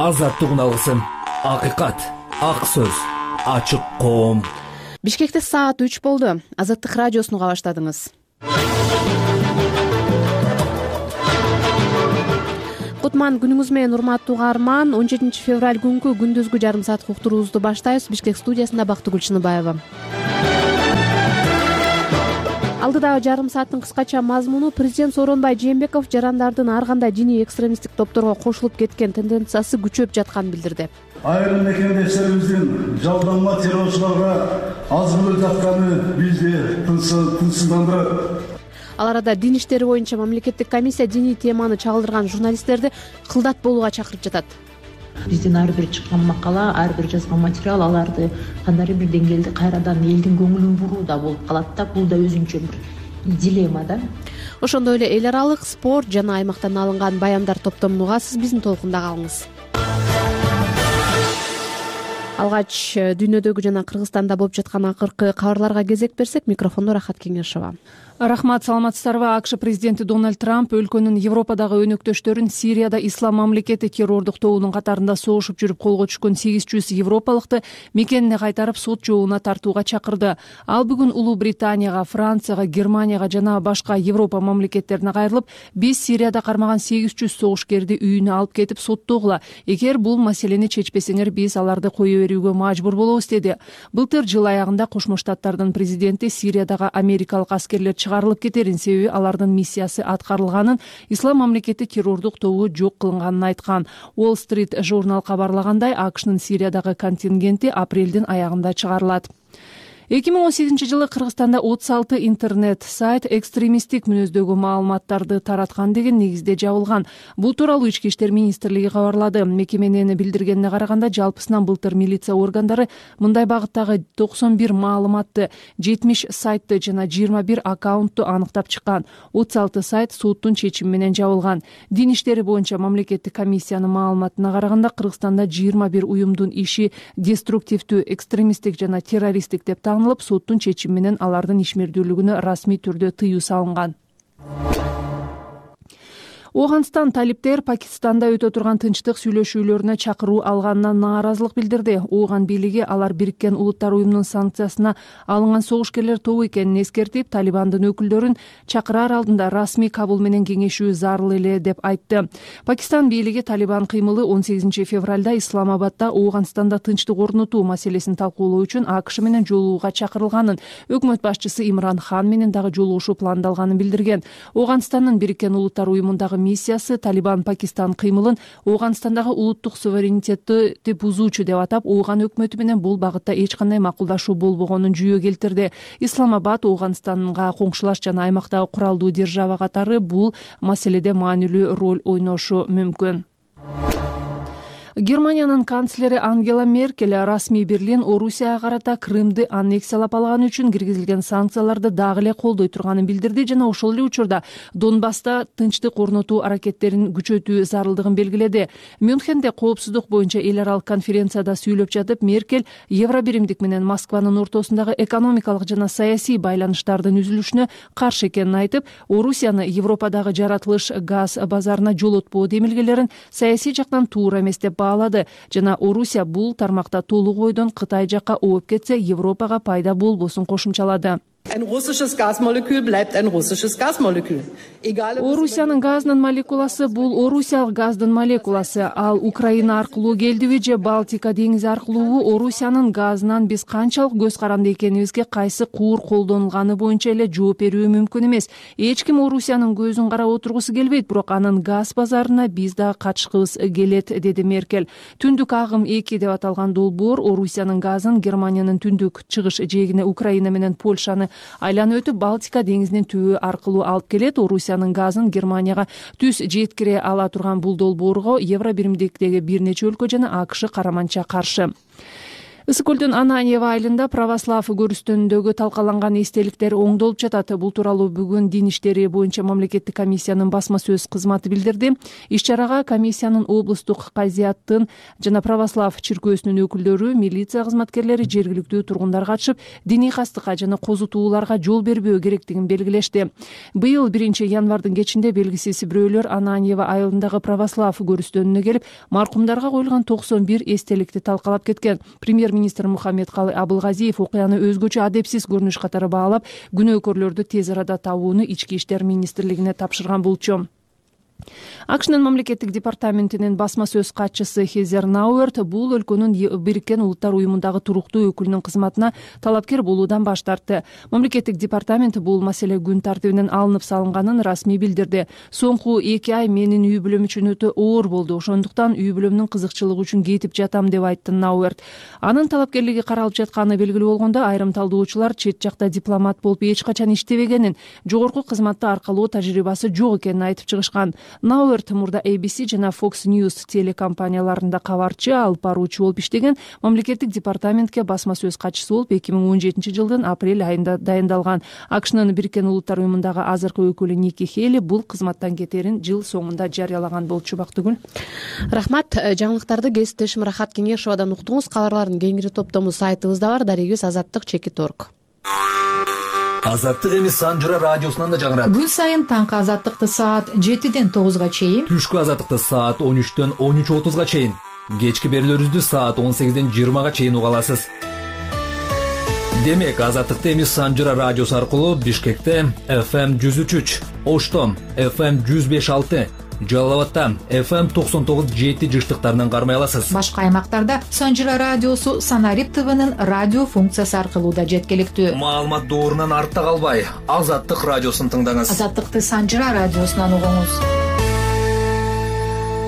азаттык үналысын, акыйкат, ак сөз, ачык коом. Бишкекте саат 3 болду. Азаттык радиосун уга баштадыңыз. Кутман күнүңүз менен, урматтуу угарман. 17 февраль күнкү күндүзгү жарым саат уктуруубузду баштайбыз. Бишкек студиясында Бактыгүл Чыныбаева. Алдыдагы жарым сааттын кыскача мазмуну: президент Сооронбай Жээнбеков жарандардын ар кандай диний экстремисттик топторго кошулуп кеткен тенденциясы күчөп жатканын билдирди. Айрым мекендештерибиздин жалданма террорчуларга аз болуп жатканы бизди тынчсыздандырат. Ал арада дин иштери боюнча мамлекеттик комиссия диний теманы чагылдырган журналисттерди кылдат болууга чакырып жатат. Биздин ар бир чыккан макала, ар бир жазган материал аларды кандайдыр бир деңгээлде кайрадан элдин көңүлүн бурууда болуп калат да. Бул да өзүнчө бир дилемма да. Ошондой эле эл аралык, спорт жана аймактан алынган баяндар топтомун угасыз. Биздин толкунда калыңыз. Алгач дүйнөдөгү жана Кыргызстанда болуп жаткан акыркы кабарларга кезек берсек, микрофондо Рахат Кеңешова. Рахмат, саламатсыздарбы? АКШ президенти Дональд Трамп өлкөнүн Европадагы өнөктөштөрүн Сирияда ислам мамлекети террордук тобунун катарында согушуп жүрүп колго түшкөн 800 европалыкты мекенине кайтарып сот жообуна тартууга чакырды. Ал бүгүн Улуу Британияга, Францияга, Германияга жана башка Европа мамлекеттерине кайрылып, биз Сирияда кармаган 800 согушкерди үйүнө алып кетип соттогула. Эгер бул маселени чечпесеңер, биз аларды кое берүүгө мажбур болобуз, деди. Былтыр жыл аягында Кошмо Штаттардын президенти Сириядагы америкалык аскерлер чыгарылып кетерин, себеби алардын миссиясы аткарылганын, ислам мамлекети террордук тобу жок кылынганын айткан. Wall Street журнал кабарлагандай, АКШнын Сириядагы контингенти апрелдин аягында чыгарылат. 2018 жылы Кыргызстанда 36 интернет сайт экстремисттик мүнөздөгү маалыматтарды тараткан деген негизде жабылган. Бул тууралуу Ички иштер министрлиги кабарлады. Мекеменин билдиргенине караганда, жалпысынан былтыр милиция органдары мындай багыттагы 91 маалыматты, 70 сайтты жана 21 аккаунтту аныктап чыккан. 36 сайт соттун чечими менен жабылган. Дин иштери боюнча мамлекеттик комиссиянын маалыматына караганда, Кыргызстанда 21 уюмдун иши деструктивдүү, экстремисттик жана террористтик деп танылып, соттун чечими менен алардын ишмердүүлүгүнө расмий түрдө тыюу салынган. Ооганстан талиптер Пакистанда өтө турган тынчтык сүйлөшүүлөрүнө чакыруу алганына нааразылык билдирди. Ооган бийлиги алар Бириккен Улуттар уюмунун санкциясына алынган согушкерлер тобу экенин эскертип, Талибандын өкүлдөрүн чакыраар алдында расмий кабыл менен кеңешүү зарыл эле деп айтты. Пакистан бийлиги Талибан кыймылы 18 февралда Исламабадда Ооганстанда тынчтык орнотуу маселесин талкуулоо үчүн АКШ менен жолугууга чакырылганын, өкмөт башчысы Имран Хан менен дагы жолугушуу пландалганын билдирген. Ооганстандын Бириккен Улуттар уюмундагы миссиясы Талибан Пакистан кыймылын Ооганстандагы улуттук суверенитетти бузуучу деп атап, Ооган өкмөтү менен бул багытта эч кандай макулдашуу болбогонун жүйө келтирди. Исламабад Ооганстанга коңшулаш жана аймактагы куралдуу держава катары бул маселеде маанилүү роль ойношу мүмкүн. Германиянын канцлери Ангела Меркель расмий Берлин Орусияга карата Крымды аннексиялап алган үчүн киргизилген санкцияларды дагы эле колдой турганын билдирди жана ошол эле учурда Донбасста тынчтык орнотуу аракеттерин күчөтүү зарылдыгын белгиледи. Мюнхенде коопсуздук боюнча эл аралык конференцияда сүйлөп жатып, Меркель Евробиримдик менен Москванын ортосундагы экономикалык жана саясий байланыштардын үзүлүшүнө каршы экенин айтып, Орусияны Европадагы жаратылыш газ базарына жолотпоо демилгелерин саясий жактан туура эмес деп баалады жана Орусия бул тармакта толук бойдон Кытай жакка ооп кетсе, Европага пайда болбосун кошумчалады. Ein russisches Gasmolekül bleibt ein russisches Gasmolekül. Орусиянын газынын молекуласы бул орусиялык газдын молекуласы. Ал Украина аркылуу келдиби же Балтика деңизи аркылуу, Орусиянын газынан биз канчалык көз каранды экенибизге кайсы куур колдонулганы боюнча эле жооп берүү мүмкүн эмес. Эч ким Орусиянын көзүн карап отургусу келбейт, бирок анын газ базарына биз да катышкыбыз келет, деди Меркель. Түндүк агым 2 деп аталган долбоор Орусиянын газын Германиянын түндүк чыгыш жээгине Украина менен Польшаны айланып өтүп Балтика деңизинин түбү аркылуу алып келет. Орусиянын газын Германияга түз жеткире ала турган бул долбоорго Евробиримдиктеги бир нече өлкө жана АКШ караманча каршы. Ысык көлдүн Ананьево айылында православ көрүстөнүндөгү талкаланган эстеликтер оңдолуп жатат. Бул тууралуу бүгүн дин иштери боюнча мамлекеттик комиссиянын басма сөз кызматы билдирди. Иш чарага комиссиянын облустук казияттын жана православ чиркөөсүнүн өкүлдөрү, милиция кызматкерлери, жергиликтүү тургундар катышып, диний кастыкка жана козутууларга жол бербөө керектигин белгилешти. Быйыл 1 январдын кечинде белгисиз бирөөлөр Ананьево айылындагы православ көрүстөнүнө келип, маркумдарга коюлган 91 эстеликти талкалап кеткен. Премьер-министр Мухаммедкалый Абылгазиев окуяны өзгөчө адепсиз көрүнүш катары баалап, күнөөкөрлөрдү тез арада табууну Ички иштер министрлигине тапшырган болчу. АКШнын мамлекеттик департаментинин басма сөз катчысы Хезер Науэрт бул өлкөнүн Бириккен Улуттар уюмундагы туруктуу өкүлүнүн кызматына талапкер болуудан баш тартты. Мамлекеттик департамент бул маселе күн тартибинен алынып салынганын расмий билдирди. Соңку 2 ай менин үй бүлөм үчүн өтө оор болду. Ошондуктан үй бүлөмдүн кызыкчылыгы үчүн кетип жатам деп айтты Науэрт. Анын талапкерлиги каралып жатканы белгилүү болгондо, айрым талдоочулар чет жакта дипломат болуп эч качан иштебегенин, жогорку кызматты аркалоо тажрыйбасы жок экенин айтып чыгышкан. Науэрт мурда ABC жана Fox News телекомпанияларында кабарчы, алып баруучу болуп иштеген. Мамлекеттик департаментке басма сөз катчысы болуп 2017 жылдын апрель айында дайындалган. АКШнын Бириккен Улуттар уюмундагы азыркы өкүлү Ники Хейли бул кызматтан кетерин жыл соңунда жарыялаган болчу. Бактыгүл. Рахмат. Жаңылыктарды кесиптешим Рахат Кеңешовадан уктуңуз. Кабарлардын кеңири топтому сайтыбызда бар. Дарегибиз azаттык.org. Азаттык эмес Санжыра радиосунан да жаңырат. Күн сайын таңкы азаттыкты саат 7-ден 9-га чейин, Түшкү азаттыкты саат 13-төн 13:30-га чейин, кечки берүүлөрүбүздү саат 18-ден 20-га чейин уга аласыз. Демек, азаттыкты эмес Санжыра радиосу аркылуу Бишкекте FM 103, Оштом FM 105.6, Жалал Абадта FM 99.7 жыштыктарынан кармай аласыз. Башка аймактарда Санжыра радиосу Санарип ТВнын радио функциясы аркылуу да жеткиликтүү. Маалымат доорунан артта калбай, Азаттык радиосун тыңдаңыз. Азаттыкты Санжыра радиосунан угуңуз.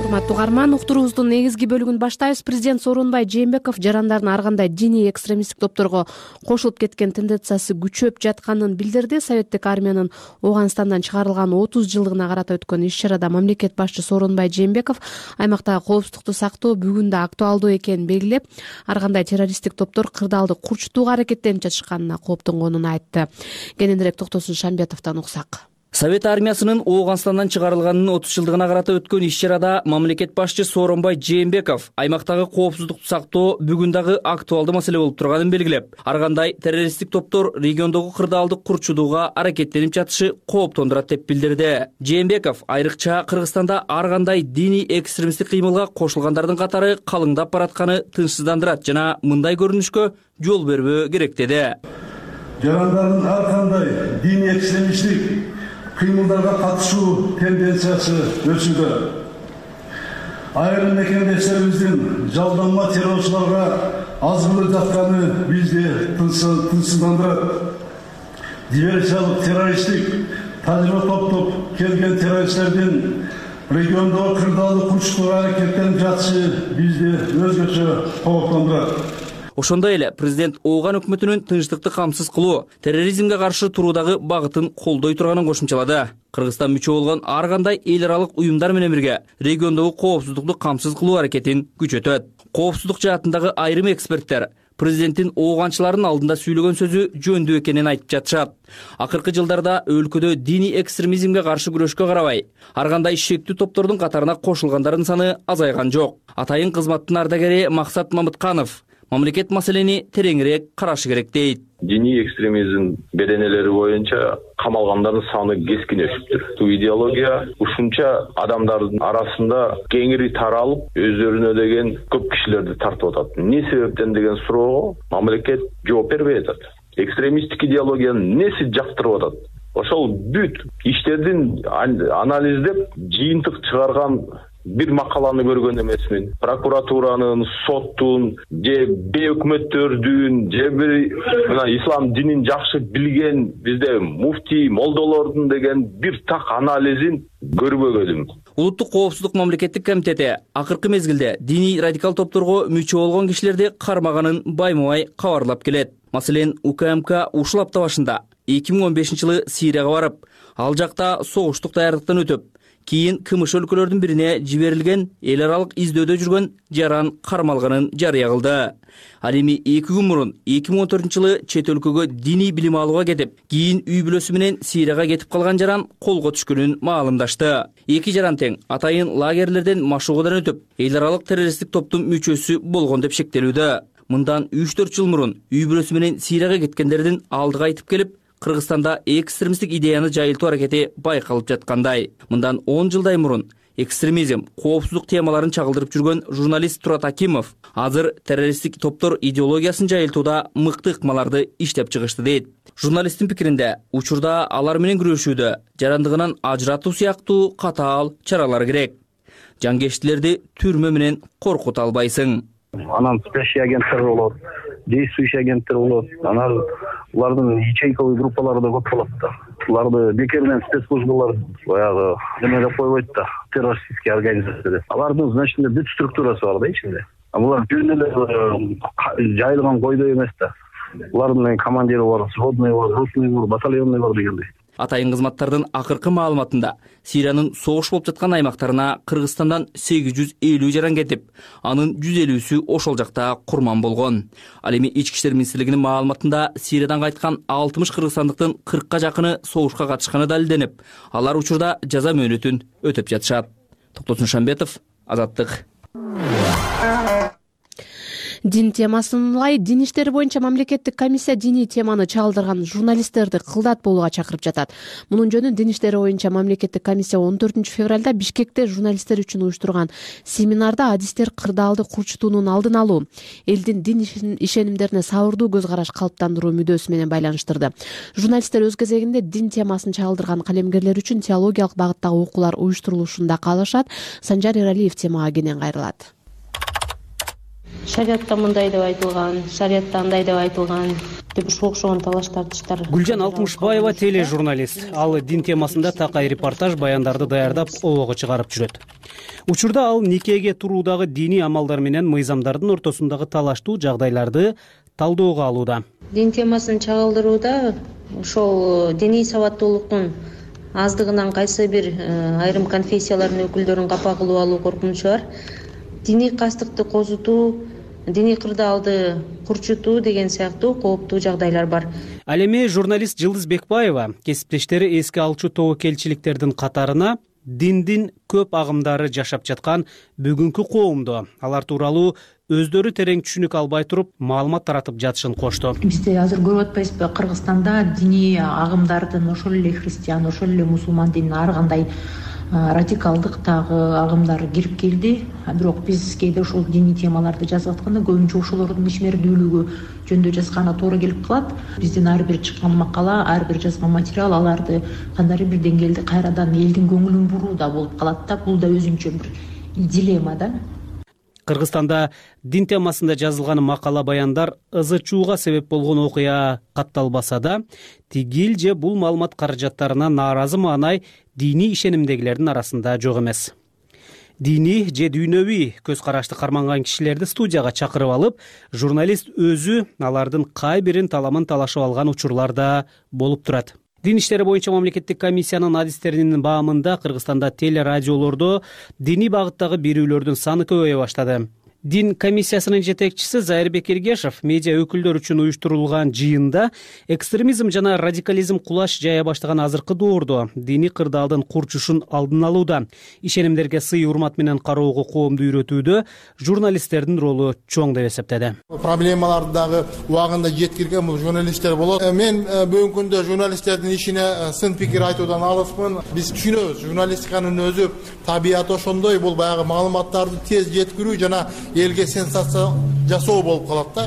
Урматтуу угарман, уктуруубуздун негизги бөлүгүн баштайбыз. Президент Сооронбай Жээнбеков жарандардын ар кандай диний экстремисттик топторго кошулуп кеткен тенденциясы күчөп жатканын билдирди. Советтик армиянын Ооганстандан чыгарылган 30 жылдыгына карата өткөн иш-чарада мамлекет башчы Сооронбай Жээнбеков аймактагы коопсуздукту сактоо бүгүн да актуалдуу экенин белгилеп, ар кандай террористтик топтор кырдаалды курчутууга аракеттенип жатышканына кооптонгонун айтты. Кененирээк Токтосун Шамбетовдон уксак. Совет армиясынын Ооганстандан чыгарылганынын 30 жылдыгына карата өткөн иш-чарада мамлекет башчы Сооронбай Жээнбеков аймактагы коопсуздукту сактоо бүгүн дагы актуалдуу маселе болуп турганын белгилеп, ар кандай террористтик топтор региондогу кырдаалды курчутууга аракеттенип жатышы кооптондурат деп билдирди. Жээнбеков айрыкча Кыргызстанда ар кандай диний экстремисттик кыймылга кошулгандардын катары калыңдап баратканы тынчсыздандырат жана мындай көрүнүшкө жол бербөө керек деди. Жарандардын ар кандай диний экстремисттик кыймылдарга катышуу тенденциясы өсүүдө. Айрым мекендештерибиздин жалданма террорчуларга азгырып жатканы бизди тынчсыздандырат. Диверсиялык террористтик тажрыйба топтоп келген террористтердин региондогу кырдаалды курчутууга аракеттенип жатышы бизди өзгөчө кооптондурат. Ошондой эле президент Ооган өкмөтүнүн тынчтыкты камсыз кылуу, терроризмге каршы туруудагы багытын колдой турганын кошумчалады. Кыргызстан мүчө болгон ар кандай эл аралык уюмдар менен бирге региондогу коопсуздукту камсыз кылуу аракетин күчөтөт. Коопсуздук жаатындагы айрым эксперттер президенттин ооганчылардын алдында сүйлөгөн сөзү жөндүү экенин айтып жатышат. Акыркы жылдарда өлкөдө диний экстремизмге каршы күрөшкө карабай, ар кандай шектүү топтордун катарына кошулгандардын саны азайган жок. Атайын кызматтын ардагери Максат Мамытканов мамлекет маселени тереңирээк карашы керек дейт. Диний экстремизм беренелери боюнча камалгандардын саны кескин өсүптүр. Бул идеология ушунча адамдардын арасында кеңири таралып, өздөрүнө деген көп кишилерди тартып атат. Эмне себептен деген суроого мамлекет жооп бербей атат. Экстремисттик идеологиянын эмнеси жактырып атат? Ошол бүт иштердин анализдеп, жыйынтык чыгарган бир макаланы көргөн эмесмин. Прокуратуранын, соттун, же өкмөттөрдүн, же мына ислам динин жакшы билген бизде муфти, молдолордун деген бир так анализин көрбөгөнүм. Улуттук коопсуздук мамлекеттик комитети акыркы мезгилде диний радикал топторго мүчө болгон кишилерди кармаганын байма-бай кабарлап келет. Маселен, УКМК ушул апта башында 2015 жылы Сирияга барып, ал жакта согуштук даярдыктан өтүп, кийин КМШ өлкөлөрдүн бирине жиберилген эл аралык издөөдө жүргөн жаран кармалганын жарыя кылды. Ал эми 2 күн мурун 2014-жылы чет өлкөгө диний билим алууга кетип, кийин үй бүлөсү менен Сирияга кетип калган жаран колго түшкөнүн маалымдашты. Эки жаран тең атайын лагерлерден машыгуудан өтүп, эл аралык террористтик топтун мүчөсү болгон деп шектелүүдө. Мындан 3-4 жыл мурун үй бүлөсү менен Сирияга кеткендердин алдыга айтып келип, Кыргызстанда экстремисттик идеяны жайылтуу аракети байкалып жаткандай. Мындан 10 жылдай мурун экстремизм, коопсуздук темаларын чагылдырып жүргөн журналист Турат Акимов азыр террористтик топтор идеологиясын жайылтууда мыкты ыкмаларды иштеп чыгышты дейт. Журналисттин пикиринде, учурда алар менен күрөшүүдө жарандыгынан ажыратуу сыяктуу катаал чаралар керек. Жангештилерди түрмө менен коркута албайсың. Анан спящий агенттер болот, действующий агенттер болот. Анан улардын ячейковый группалары да көп болот да. Уларды бекеринен спецслужбалар баягы эме деп койбойт да, террористический организация деп. Алардын значит бүт структурасы бар да ичинде. Булар жөн эле жайылган койдой эмес да. Улардын командири бар, сводный бар, ротный бар, батальонный бар дегендей. Атайын кызматтардын акыркы маалыматында Сириянын согуш болуп жаткан аймактарына Кыргызстандан 850 жаран кетип, анын 150-сү ошол жакта курман болгон. Ал эми Ички иштер министрлигинин маалыматында Сириядан кайткан 60 кыргызстандыктын 40ка жакыны согушка катышканы далилденип, алар учурда жаза мөөнөтүн өтөп жатышат. Токтосун Шамбетов, Азаттык. Дин темасын улай дин иштери боюнча мамлекеттик комиссия диний теманы чагылдырган журналисттерди кылдат болууга чакырып жатат. Мунун жөнүн дин иштери боюнча мамлекеттик комиссия 14 февралда Бишкекте журналисттер үчүн уюштурган семинарда адистер кырдаалды курчутуунун алдын алуу, элдин дин ишенимдерине сабырдуу көз караш калыптандыруу мүдөөсү менен байланыштырды. Журналисттер өз кезегинде дин темасын чагылдырган калемгерлер үчүн теологиялык багыттагы окуулар уюштурулушун да каалашат. Санжар Эралиев темага кенен кайрылат. Шариатта мындай деп айтылган, шариатта андай деп айтылган деп окшогон талаш тартыштар. Гүлжан Алтымышбаева тележурналист. Ал дин темасында такай репортаж баяндарды даярдап обого чыгарып жүрөт. Учурда ал никеге туруудагы диний амалдар менен мыйзамдардын ортосундагы талаштуу жагдайларды талоого алууда. Дин темасын чагылдырууда ошол диний сабаттуулуктун аздыгынан кайсы бир айрым конфессиялардын өкүлдөрүн капа кылып алуу коркунучу бар. Диний кастыкты козутуу, диний кырдаалды курчутуу деген сыяктуу кооптуу жагдайлар бар. Ал эми журналист Жылдыз Бекбаева кесиптештери эске алчу тобокелчиликтердин катарына диндин көп агымдары жашап жаткан бүгүнкү коомду, алар тууралуу өздөрү терең түшүнүк албай туруп маалымат таратып жатышын кошту. Бизде азыр көрүп атпайсызбы, Кыргызстанда диний агымдардын ошол эле христиан, ошол эле мусулман динин ар кандай радикалдыктагы агымдар кирип келди. Бирок биз кээде ушул диний темаларды жазып атканда көбүнчө ошолордун ишмердүүлүгү жөнүндө жазганы туура келип калат. Биздин ар бир чыккан макала, ар бир жазган материал аларды кандайдыр бир деңгээлде кайрадан элдин көңүлүн бурууда болуп калат да. Бул да өзүнчө бир дилемма да. Кыргызстанда дин темасында жазылган макала баяндар ызы-чууга себеп болгон окуя катталбаса да, тигил же бул маалымат каражаттарына нааразы маанай диний ишенимдегилердин арасында жок эмес. Диний же дүйнөвүй көз карашты карманган кишилерди студияга чакырып алып, журналист өзү алардын кай бирин таламын талашып алган учурлар да болуп турат. Дин иштери боюнча мамлекеттик комиссиянын адистеринин баамында Кыргызстанда телерадиолордо диний багыттагы берүүлөрдүн саны көбөйө баштады. Дин комиссиясынын жетекчиси Зайырбек Эргешев медиа өкүлдөр үчүн уюштурулган жыйында экстремизм жана радикализм кулаш жая баштаган азыркы доордо диний кырдаалдын курчушун алдын алууда, ишенимдерге сый урмат менен кароого коомду үйрөтүүдө журналисттердин ролу чоң деп эсептеди. Проблемаларды дагы убагында жеткирген бул журналисттер болот. Мен бүгүнкү күндө журналисттердин ишине сын пикир айтуудан алыспын. Биз түшүнөбүз, журналистиканын өзү табияты ошондой, бул баягы маалыматтарды тез жеткирүү жана элге сенсация жасоо болуп калат да.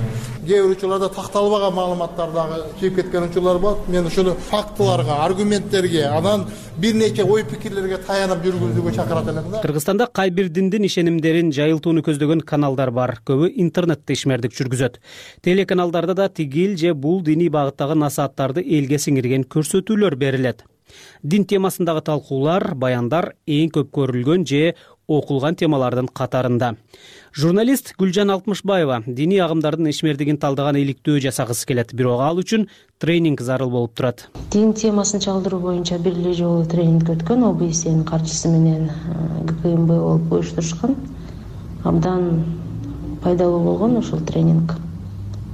Кээ бир учурларда такталбаган маалыматтар дагы чыгып кеткен учурлар болот. Мен ушуну фактыларга, аргументтерге, анан бир нече ой пикирлерге таянып жүргүзүүгө чакырат элем да. Кыргызстанда кай бир диндин ишенимдерин жайылтууну көздөгөн каналдар бар. Көбү интернетте ишмердик жүргүзөт. Телеканалдарда да тигил же бул диний багыттагы насааттарды элге сиңирген көрсөтүүлөр берилет. Дин темасындагы талкуулар, баяндар эң көп көрүлгөн же окулган темалардын катарында. Журналист Гүлжан Алтмышбаева диний агымдардын ишмердигин талдаган иликтөө жасагысы келет, бирок ал үчүн тренинг зарыл болуп турат. Дин темасын чалдыруу боюнча бир эле жолу тренинг өткөн, ОБСН каржысы менен ГКМБ болуп уюштурушкан. Абдан пайдалуу болгон ошол тренинг.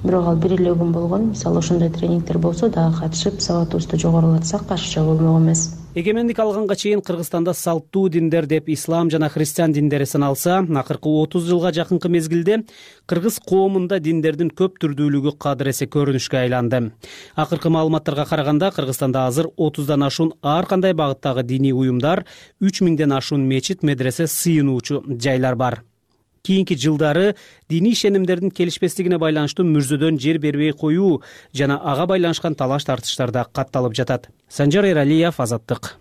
Бирок ал бир эле күн болгон. Мисалы ошондой тренингдер болсо дагы катышып, сабатыбызды жогорулатсак каршыча болмок эмес. Эгемендик алганга чейин Кыргызстанда салттуу диндер деп ислам жана христиан диндери саналса, акыркы 30 жылга жакынкы мезгилде кыргыз коомунда диндердин көп түрдүүлүгү кадыр эсе көрүнүшкө айланды. Акыркы маалыматтарга караганда Кыргызстанда азыр 30дан ашуун ар кандай багыттагы диний уюмдар, 3000ден ашуун мечит, медресе, сыйынуучу жайлар бар. Кийинки жылдары диний ишенимдердин келишпестигине байланыштуу мүрзөдөн жер бербей коюу жана ага байланышкан талаш тартыштар да катталып жатат. Санжар Эралиев, Азаттык.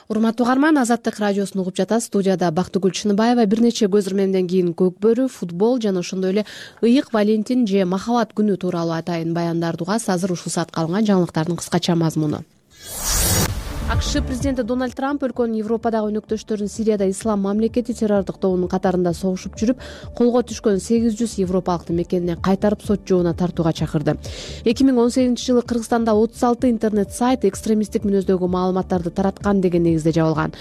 Урматтуу угарман, Азаттык радиосун угуп жатасыз. Студияда Бактыгүл Чыныбаева. Бир нече көз ирмемден кийин көкбөрү, футбол жана ошондой эле ыйык Валентин же махабат күнү тууралуу атайын баяндарды угасыз. Азыр ушул саатка алынган жаңылыктардын кыскача мазмуну. АКШ президенти Дональд Трамп өлкөнүн Европадагы өнөктөштөрүн Сирияда ислам мамлекети террордук тобунун катарында согушуп жүрүп, колго түшкөн 800 европалыкты мекенине кайтарып сот жообуна тартууга чакырды. 2018-жылы Кыргызстанда 36 интернет сайт экстремисттик мүнөздөгү маалыматтарды тараткан деген негизде жабылган.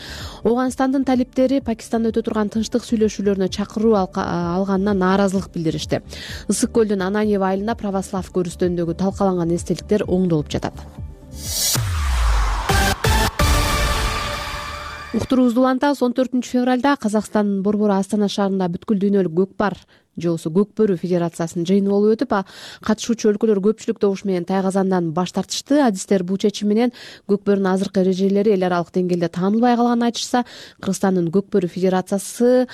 Оганстандын талиптери Пакистанда өтө турган тынчтык сүйлөшүүлөрүнө чакыруу алганына нааразылык билдиришти. Ысык көлдүн Ананьев айылында православ көрүстөнүндөгү талкаланган эстеликтер оңдолуп жатат. Уктуруубузду улантабыз. 14-февралда Казакстандын Борбору Астана шаарында бүткүл дүйнөлүк көкпар жоосу көкбөрү федерациясынын жыйыны болуп өтүп, катышуучу өлкөлөр көпчүлүк добуш менен Тайгазандан баш тартышты. Адистер бул чечим менен көкбөрүнүн азыркы эрежелери эл аралык деңгээлде таанылбай калганын айтышса, Кыргызстандын көкбөрү федерациясы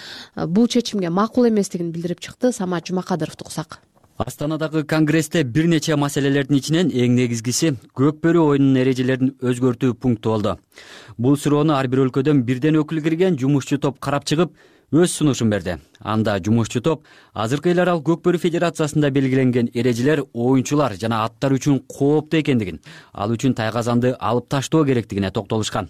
бул чечимге макул эместигин билдирип чыкты. Самат Жумакадыровду угсак. Астанадагы конгрессте бир нече маселелердин ичинен эң негизгиси көкбөрү оюнунун эрежелерин өзгөртүү пункту болду. Бул суроону ар бир өлкөдөн бирден өкүл кирген жумушчу топ карап чыгып, өз сунушун берди. Анда жумушчу топ азыркы эл аралык көкбөрү федерациясында белгиленген эрежелер оюнчулар жана аттар үчүн кооптуу экендигин, ал үчүн тайгазанды алып таштоо керектигине токтолушкан.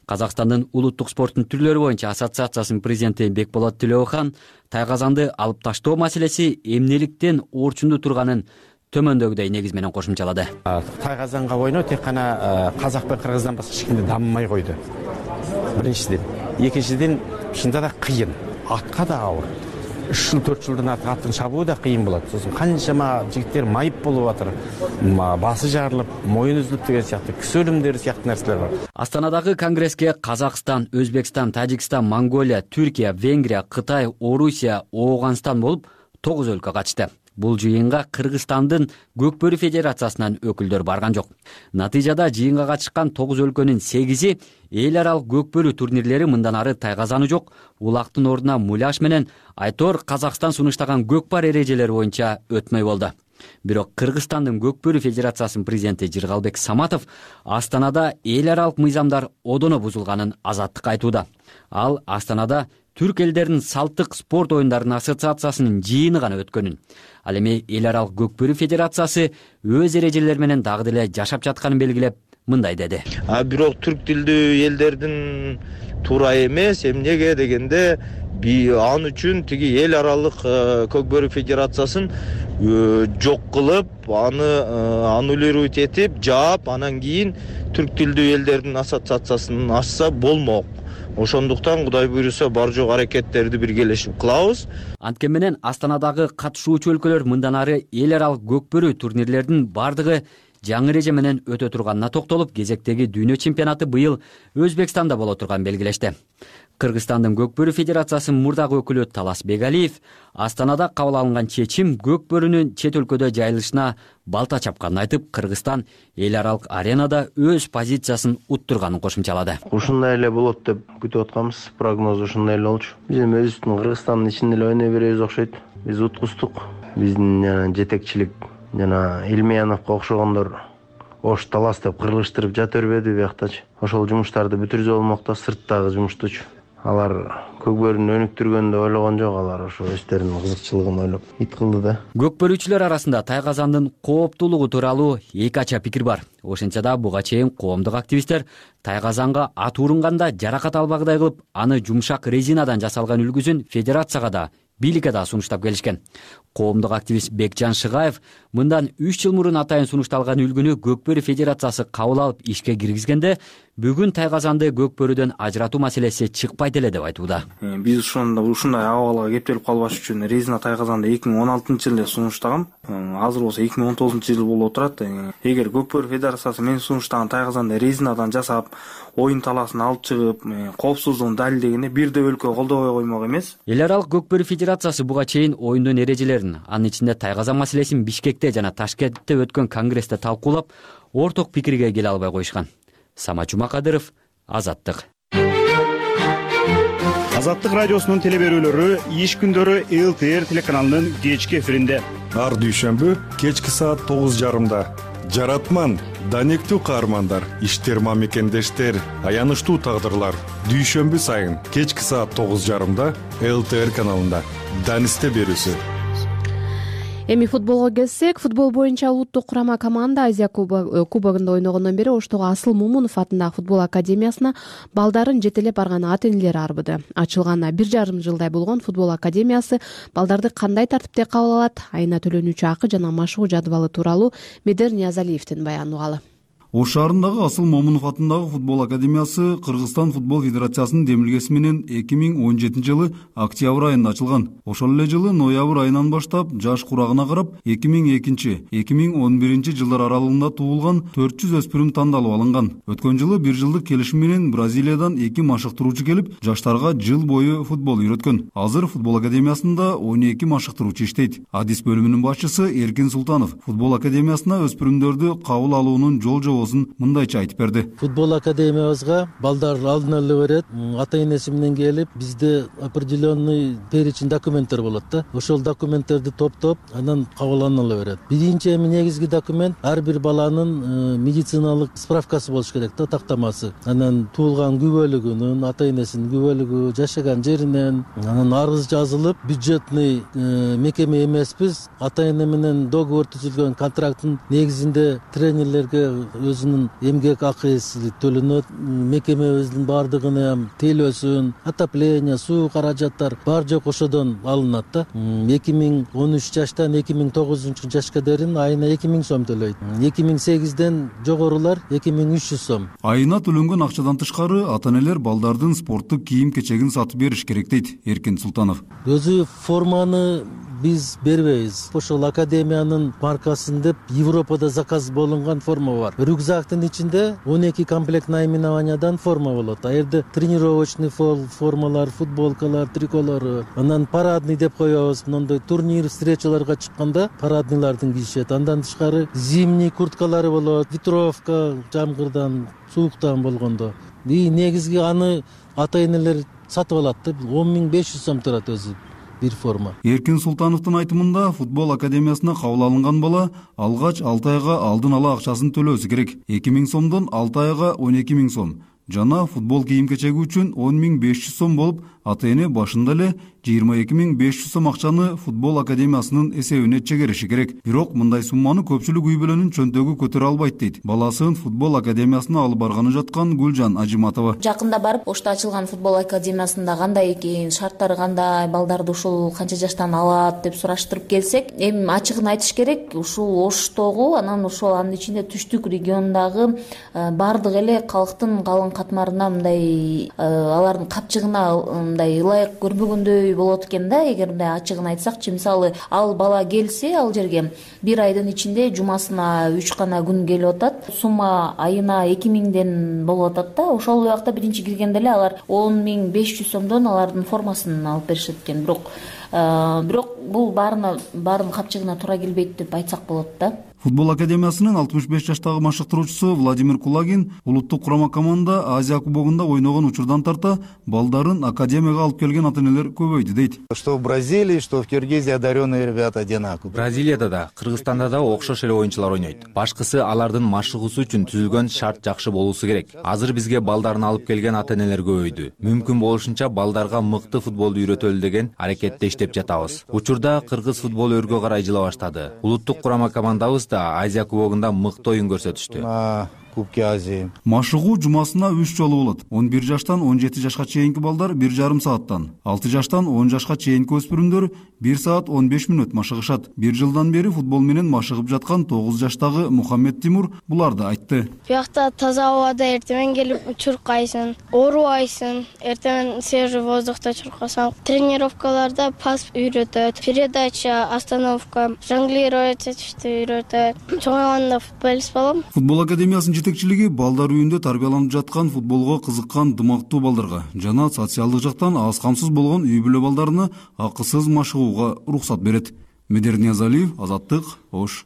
Казакстандын улуттук спорттун түрлөрү боюнча ассоциациясынын президенти Бекболот Төлөбахан тайгазанды алып таштоо маселеси эмнеликтен орчунду турганын төмөндөгүдөй негиз менен кошумчалады. Тайгазанга ойноо тек гана казак менен кыргыздан башка эч кимде дамымай койду. Биринчиден, экинчиден чында да кыйын, атка да ауыр. 3 жыл 4 жылдан артык аттын чабуу да кыйын болот. Сосын канчама жигиттер майып болуп атыр, басы жарылып, моюн үзүлүп деген сыяктуу кісі өлүмдери сыяктуу нерселер бар. Астанадагы конгресске Казакстан, Өзбекстан, Тажикстан, Монголия, Түркия, Венгрия, Кытай, Орусия, Ооган болуп 9 өлкө катышты. Бул жыйынга Кыргызстандын көкбөрү федерациясынан өкүлдөр барган жок. Натыйжада жыйынга катышкан 9 өлкөнүн 8-и эл аралык көкбөрү турнирлери мындан ары тайгазаны жок, улактын ордуна муляж менен айтор Казакстан сунуштаган көкпар эрежелери боюнча өтмөй болду. Бирок Кыргызстандын көкбөрү федерациясынын президенти Жыргалбек Саматов Астанада эл аралык мыйзамдар одоно бузулганын азаттыкка айтууда. Ал Астанада Түрк элдеринин салттык спорт оюндарынын ассоциациясынын жыйыны гана өткөнүн, ал эми эл аралык көкбөрү федерациясы өз эрежелери менен дагы деле жашап жатканын белгилеп, мындай деди. Бирок түрк тилдүү элдердин туура эмес, эмнеге дегенде ал үчүн тиги эл аралык көкбөрү федерациясын жок кылып, аны аннулировать этип, жаап, анан кийин түрк тилдүү элдердин ассоциациясын ачса болмок. Ошондуктан Кудай буйруса бар жок аракеттерди биргелешип кылабыз. Анткени менен Астанадагы катышуучу өлкөлөр мындан ары эл аралык көкбөрү турнирлердин бардыгы жаңы эреже менен өтө турганына токтолуп, кезектеги дүйнө чемпионаты быйыл Өзбекстанда боло турганын белгилешти. Кыргызстандын көкбөрү федерациясынын мурдагы өкүлү Талас Бегалиев Астанада кабыл алынган чечим көкбөрүнүн чет өлкөдө жайылышына балта чапканын айтып, Кыргызстан эл аралык аренада өз позициясын уттурганын кошумчалады. Ушундай эле болот деп күтүп атканбыз, прогноз ушундай эле болчу. Биз өзүбүздүн Кыргызстандын ичинде эле ойной беребиз окшойт. Биз уткуздук. Биздин жетекчилик жана Илмеяновго окшогондор ош талас деп кыргызыштырып жата бербеди бияктачы. Ошол жумуштарды бүтүрүзө болмок да, сырттагы жумуштучу. алар көкбөрүнү өнүктүргөндү ойлогон жок, алар ошо өздөрүнүн кызыкчылыгын ойлоп ит кылды да. Көкбөрүүчүлөр арасында тайгазандын кооптуулугу тууралуу эки ача пикир бар. Ошентсе да буга чейин коомдук активисттер тайгазанга ат урунганда жаракат албагыдай кылып, аны жумшак резинадан жасалган үлгүсүн федерацияга да бийликке да сунуштап келишкен. Коомдук активист Бекжан Шыгаев мындан 3 жыл мурун атайын сунушталган үлгүнү Көкбөрү федерациясы кабыл алып ишке киргизгенде бүгүн тайгазанды көкбөрүдөн ажыратуу маселеси чыкпайт эле деп айтууда. Биз ушундай абалга кептелип калбаш үчүн резина тайгазанды 2016-жылы сунуштагам. Азыр болсо 2019-жыл болуп отурат. Эгер Көкбөрү федерациясы мен сунуштаган тайгазанды резинадан жасап, оюн талаасын алып чыгып, коопсуздугун далилдегенде бирде өлкө колдобой коймок эмес. Эл аралык Көкбөрү федерациясы буга чейин оюндун эрежелерин, анын ичинде тайгазан маселесин Бишкекте жана Ташкентте өткөн конгрессте талкуулап, орток пикирге келе албай коюшкан. Самат Жумакадыров, Азаттык. Азаттык радиосунун телеберүүлөрү иш күндөрү ЛТР телеканалынын кечки эфиринде. Ар дүйшөмбү кечки саат 9:30. Жаратман, данектүү каармандар, иштерма мекендештер, аянычтуу тагдырлар. Дүйшөмбү сайын кечки саат 9:30 ЛТР каналында. Данисте берүүсү. Эми футболго келсек, футбол боюнча улуттук курама команда Азия кубогунда ойногондон бери Оштогу Асыл Момунов атындагы футбол академиясына балдарын жетелеп барган ата-энелер арбыды. Ачылганына 1,5 жылдай болгон футбол академиясы балдарды кандай тартипте кабыл алат, айына төлөнүүчү акы жана машыгуу жадыбалы тууралуу Медер Ниязалиевдин баяны угалы. Ош шаарындагы Асыл Момунов атындагы футбол академиясы Кыргызстан футбол федерациясынын демилгеси менен 2017 жылы октябрь айында ачылган. Ошол эле жылы ноябрь айынан баштап жаш курагына карап 2002-2011 жылдар аралыгында туулган 400 өспүрүм тандалып алынган. Өткөн жылы 1 жылдык келишим менен Бразилиядан 2 машыктыруучу келип, жаштарга жыл бою футбол үйрөткөн. Азыр футбол академиясында 12 машыктыруучу иштейт. Адис бөлүмүнүн башчысы Эркин Султанов футбол академиясына өспүрүмдөрдү кабыл алуунун жол мындайча айтып берди. Футбол академиябызга балдар алдын ала берет, ата-энеси менен келип, бизде определенный перечень документтер болот да. Ошол документтерди топтоп, анан кабыл ала берет. Биринчи эми негизги документ ар бир баланын медициналык справкасы болуш керек да, тактамасы. Анан туулган күбөлүгүнүн, ата-энесинин күбөлүгү, жашаган жеринен, анан арыз жазылып, бюджетный мекеме эмеспиз, ата-эне менен договор түзүлгөн контракттын негизинде тренерлерге өзүнүн эмгек акысы төлөнөт, мекемебиздин баардыгына телөөсүн, отопление, суу каражаттар бар жок ошодон алынат да. 2013 жаштан 2009 жашка дейин айына 2000 сом төлөйт. 2008ден жогорулар 2300 сом. Айына төлөнгөн акчадан тышкары ата-энелер балдардын спорттук кийим-кечегин сатып бериш керек дейт Эркин Султанов. Өзү форманы биз бербейбиз. Ошол академиянын маркасын деп Европада заказ болунган форма бар. Рюкзактын ичинде 12 комплект наименованиядан форма болот. Аерде тренировочный формалар, футболкалар, триколору, анан парадный деп коебуз. Мындай турнир, встречаларга чыкканда парадныйлардын кийишет. Андан тышкары зимний курткалары болот, ветровка жамгырдан, сууктан болгондо. Негизги аны ата-энелер сатып алат да. 10.500 сом турат өзү бир форма. Эркин Султановдун айтымында футбол академиясына кабыл алынган бала алгач 6 айга алдын ала акчасын төлөөсү керек. 2000 сомдон 6 айга 12.000 сом. Жана футбол кийим-кечеги үчүн 10.500 сом болуп, ата-эне башында эле 22.500 сом акчаны футбол академиясынын эсебине чегериши керек. Бирок мындай сумманы көпчүлүк үй бүлөнүн чөнтөгү көтөрө албайт дейт баласын футбол академиясына алып барганы жаткан Гүлжан Ажиматова. Жакында барып, Ошто ачылган футбол академиясында кандай экен, шарттары кандай, балдарды ушул канча жаштан алат деп сураштырып келсек, эми ачыгын айтыш керек, ушул Оштогу, анан ошол анын ичинде түштүк регионундагы бардык эле калктын калың катмарына мындай алардын капчыгына мындай ылайык көрбөгөндөй болот экен да. Эгер мындай ачыгын айтсакчы, мисалы ал бала келсе ал жерге бир айдын ичинде жумасына 3 гана күн келип атат, сумма айына 2000ден болуп атат да. Ошол убакта биринчи киргенде эле алар 10.500 сомдон алардын формасын алып беришет экен. Бирок бул баарынын капчыгына туура келбейт деп айтсак болот да. Футбол академиясынын 65 жаштагы машыктыруучусу Владимир Кулагин улуттук курама команда Азия кубогунда ойногон учурдан тарта балдарын академияга алып келген ата-энелер көбөйдү дейт. Что в Бразилии, что в Киргизии одаренные ребята одинаковые. Бразилияда да, Кыргызстанда да окшош эле оюнчулар ойнойт. Башкысы алардын машыгуусу үчүн түзүлгөн шарт жакшы болуусу керек. Азыр бизге балдарын алып келген ата-энелер көбөйдү. Мүмкүн болушунча балдарга мыкты футболду үйрөтөлү деген аракетте иштеп жатабыз. Учурда кыргыз футболу өргө карай жыла баштады. Улуттук курама командабыз Азия кубогунда мыкты оюн көрсөтүштү. Кубки Азии. Машыгуу жумасына 3 жолу болот. 11 жаштан 17 жашка чейинки балдар 1,5 сааттан, 6 жаштан 10 жашка чейинки өспүрүмдөр 1 саат 15 мүнөт машыгышат. 1 жылдан бери футбол менен машыгып жаткан 9 жаштагы Мухаммед Тимур буларды айтты. Буякта таза абада эртең келип чуркайсың, оорубайсың, эртең свежий воздухта чуркасаң. Тренировкаларда пас үйрөтөт, передача, остановка, жонглировать этишти үйрөтөт. Чоңойгондо футболист болом. Футбол академиясынын жетекчилиги балдар үйүндө тарбияланып жаткан футболго кызыккан дымактуу балдарга жана социалдык жактан аз камсыз болгон үй бүлө балдарына акысыз машыгууга уруксат берет. Медер Ниязалиев, Азаттык, Ош.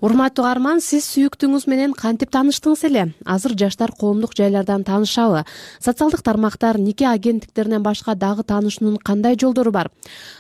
Урматтуу угарман, сиз сүйүктүүңүз менен кантип тааныштыңыз эле? Азыр жаштар коомдук жайлардан таанышабы? Социалдык тармактар, нике агенттиктеринен башка дагы таанышуунун кандай жолдору бар?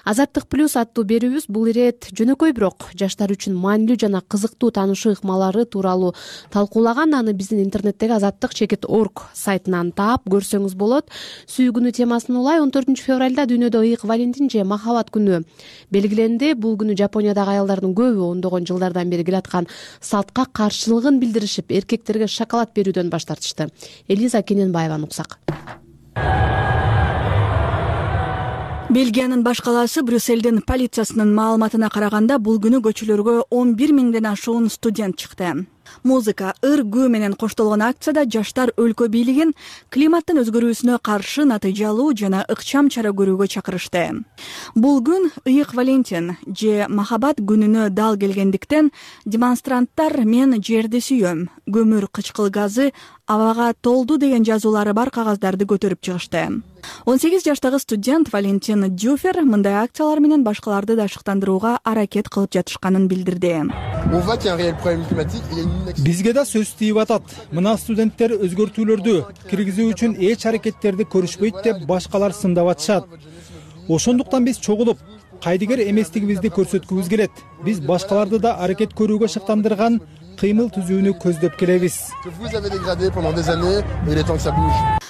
Азаттык плюс аттуу берүүбүз бул ирет жөнөкөй бирок жаштар үчүн маанилүү жана кызыктуу таанышуу ыкмалары тууралуу талкуулаган. Аны биздин интернеттеги azattik.org сайтынан таап көрсөңүз болот. Сүйүү темасын улай 14 февралда дүйнөдө ыйык Валентин же махабат күнү белгиленди. Бул Жапониядагы аялдардын көбү ондогон жылдардан бери келаткан салтка каршылыгын билдиришип, эркектерге шоколад берүүдөн баш тартышты. Элиза Кененбаеваны уксак. Бельгиянын баш калаасы Брюссельдин полициясынын маалыматына караганда, бул күнү көчөлөргө 11 миңден ашуун студент чыкты. Музыка, ыр, күү менен коштолгон акцияда жаштар өлкө бийлигин климаттын өзгөрүүсүнө каршы натыйжалуу жана ыкчам чара көрүүгө чакырышты. Бул күн ыйык Валентин же махабат күнүнө дал келгендиктен демонстранттар "Мен жерди сүйөм, көмүр кычкыл газы абага толду" деген жазуулары бар кагаздарды көтөрүп чыгышты. 18 жаштагы студент Валентин Дюфер мындай акциялар менен башкаларды да шыктандырууга аракет кылып жатышканын билдирди. Бизге да сөз тийип атат. Мына студенттер өзгөртүүлөрдү киргизүү үчүн эч аракеттерди көрүшпөйт деп башкалар сындап атышат. Ошондуктан биз чогулуп, кайдыгер эместигибизди көрсөткүбүз келет. Биз башкаларды да аракет көрүүгө шыктандырган кыймыл түзүүнү көздөп келебиз.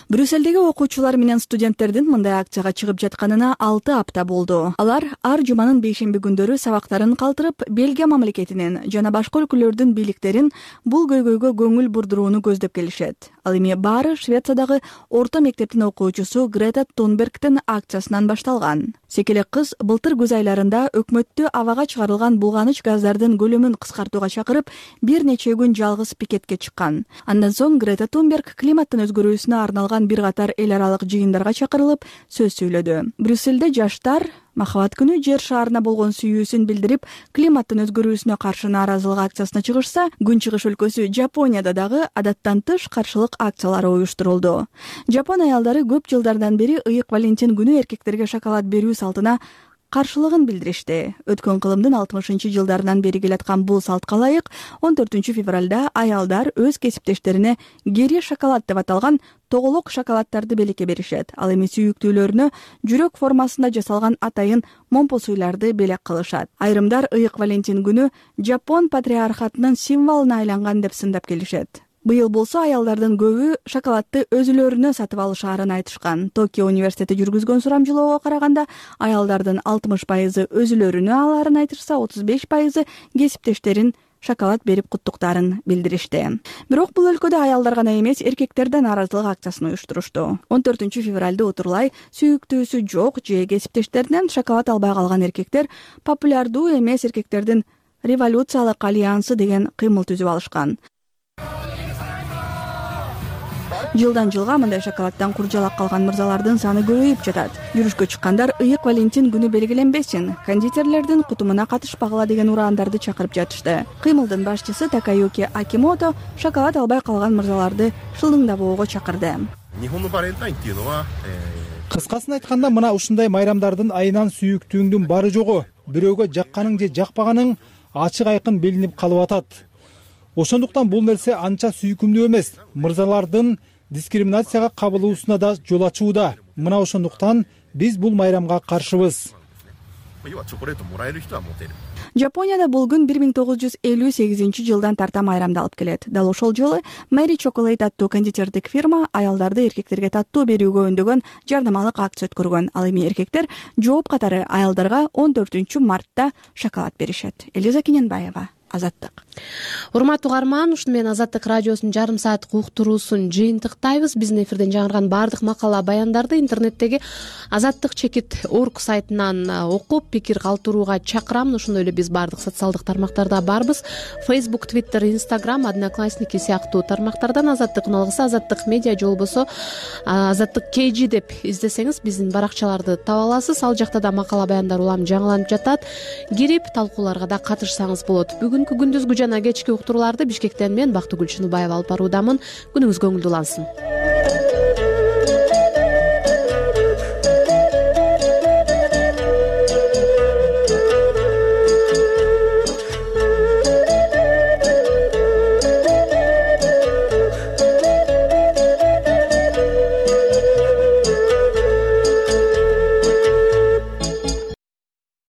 Брюссельдеги окуучулар менен студенттердин мындай акцияга чыгып жатканына 6 апта болду. Алар ар жуманын бейшемби күндөрү сабактарын калтырып, Бельгия мамлекетинин жана башка өлкөлөрдүн бийликтерин бул көйгөйгө көңүл бурдурууну көздөп келишет. Ал эми баары Швециядагы орто мектептин окуучусу Грета Тунбергдин акциясынан башталган. Секелек кыз былтыр күз айларында өкмөттү абага чыгарылган булганыч газдардын көлөмүн кыскартууга чакырып, бир нече күн жалгыз пикетке чыккан. Андан соң Грета Тунберг климаттын өзгөрүүсүнө арналган бир катар эл аралык жыйындарга чакырылып сөз сүйлөдү. Брюссельде жаштар махабат күнү жер шаарына болгон сүйүүсүн билдирип, климаттын өзгөрүүсүнө каршы нааразылык акциясына чыгышса, Күнчыгыш өлкөсү Жапонияда дагы адаттан тыш каршылык акциялары уюштурулду. Жапон аялдары көп жылдардан бери ыйык Валентин күнү эркектерге шоколад берүү салтына каршылыгын билдиришти. Өткөн кылымдын 60-жылдарынан бери келаткан бул салтка ылайык 14 февралда аялдар өз кесиптештерине гери шоколад деп аталган тоголок шоколаддарды белекке беришет. Ал эми сүйүктүүлөрүнө жүрөк формасында жасалган атайын момпо суйларды белек кылышат. Айрымдар ыйык Валентин күнү Жапон патриархатынын символуна айланган деп сындап келишет. Быйыл болсо аялдардын көбү шоколадты өзүлөрүнө сатып алышаарын айтышкан. Токио университети жүргүзгөн сурамжылоого караганда, аялдардын 60% өзүлөрүнө алаарын айтышса, 35% кесиптештерин шоколад берип куттуктаарын билдиришти. Бирок бул өлкөдө аялдар гана эмес, эркектер да нааразылык акциясын уюштурушту. 14 февралда отурлай сүйүктүүсү жок же кесиптештеринен шоколад албай калган эркектер популярдуу эмес эркектердин революциялык альянсы деген кыймыл түзүп алышкан. Жылдан жылга мындай шоколаддан куржалак калган мырзалардын саны көбөйүп жатат. Жүрүшкө чыккандар ыйык Валентин күнү белгиленбесин, кондитерлердин кутумуна катышпагыла деген ураандарды чакырып жатышты. Кыймылдын башчысы Такаюки Акимото шоколад албай калган мырзаларды шылыңдабоого чакырды. Кыскасын айтканда, мына ушундай майрамдардын айынан сүйүктүүңдүн бары жогу, бирөөгө жакканың же жакпаганың ачык айкын билинип калып атат. Ошондуктан бул нерсе анча сүйкүмдүү эмес. Мырзалардын дискриминацияга кабылуусуна да жол ачууда. Мына ошондуктан биз бул майрамга каршыбыз. Жапонияда бул күн 1958-жылдан тарта майрамдалып келет. Дал ошол жолу Мэри Chocolate аттуу кондитердик фирма аялдарды эркектерге таттуу берүүгө өндөгөн жардамалык акция өткөргөн. Ал эми эркектер жооп катары аялдарга 14-мартта шоколад беришет. Элиза Кененбаева, Азаттык. Урматтуу угарман, ушуну менен Азаттык радиосунун жарым сааттык уктуруусун жыйынтыктайбыз. Биздин эфирден жаңырган баардык макала баяндарды интернеттеги azattik.org сайтынан окуп, пикир калтырууга чакырам. Ошондой эле биз баардык социалдык тармактарда барбыз. Facebook, Twitter, Instagram, Одноклассники сыяктуу тармактардан Азаттыктын алгысы Азаттык медиа же болбосо Азаттык KG деп издесеңиз биздин баракчаларды таба аласыз. Ал жакта да макала баяндар улам жаңыланып жатат. Кирип талкууларга да катышсаңыз болот. Бүгүнкү күндүзгү жана кечки уктурууларды Бишкектен мен Бактыгүл Чыныбаева алып баруудамын. Күнүңүз көңүлдүү улансын.